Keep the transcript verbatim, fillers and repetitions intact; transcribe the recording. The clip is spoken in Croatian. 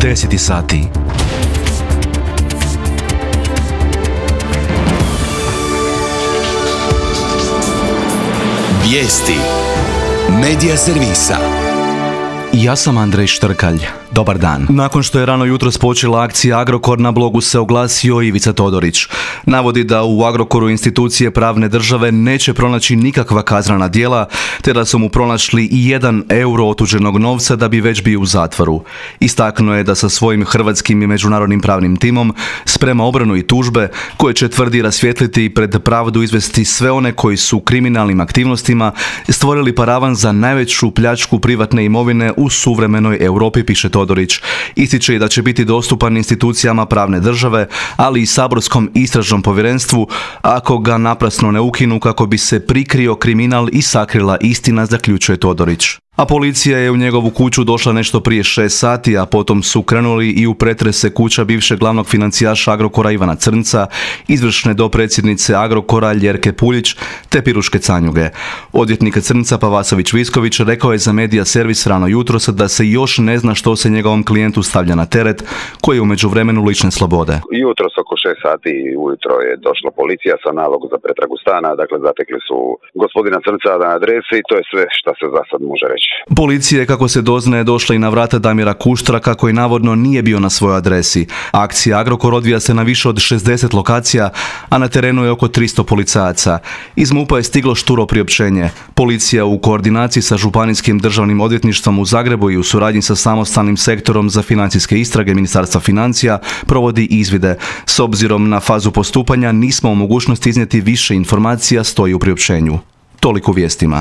deset sati. Vijesti Medija servisa. Ja sam Andrej Štrkalj. Dobar dan. Nakon što je rano jutros počela akcija Agrokor, na blogu se oglasio Ivica Todorić. Navodi da u Agrokoru institucije pravne države neće pronaći nikakva kaznena djela, te da su mu pronašli i jedan euro otuđenog novca da bi već bio u zatvoru. Istaknuo je da sa svojim hrvatskim i međunarodnim pravnim timom sprema obranu i tužbe koje će, tvrdi, rasvijetliti i pred pravdu izvesti sve one koji su kriminalnim aktivnostima stvorili paravan za najveću pljačku privatne imovine u suvremenoj Europi, piše Todorić. Ističe i da će biti dostupan institucijama pravne države, ali i saborskom istražnom povjerenstvu ako ga naprasno ne ukinu kako bi se prikrio kriminal i sakrila istina, zaključuje Todorić. A policija je u njegovu kuću došla nešto prije šest sati, a potom su krenuli i u pretrese kuća bivšeg glavnog financijaša Agrokora Ivana Crnca, izvršne dopredsjednice Agrokora Ljerke Puljić te Piruške Canjuge. Odvjetnik Crnca Pavasović Visković rekao je za Medija servis rano jutros da se još ne zna što se njegovom klijentu stavlja na teret, koji je u međuvremenu lišen slobode. Jutros oko šest sati ujutro je došla policija sa nalogom za pretragu stana, dakle zatekli su gospodina Crnca na adresi i to je sve što se za sad može reći. Policija je, kako se doznaje, došla i na vrata Damira Kuštraka, koji navodno nije bio na svojoj adresi. Akcija Agrokor odvija se na više od šezdeset lokacija, a na terenu je oko tristo policajaca. Iz MUP-a je stiglo šturo priopćenje. Policija u koordinaciji sa Županijskim državnim odvjetništvom u Zagrebu i u suradnji sa samostalnim sektorom za financijske istrage Ministarstva financija provodi izvide. S obzirom na fazu postupanja nismo u mogućnosti iznijeti više informacija, stoji u priopćenju. Toliko u vijestima.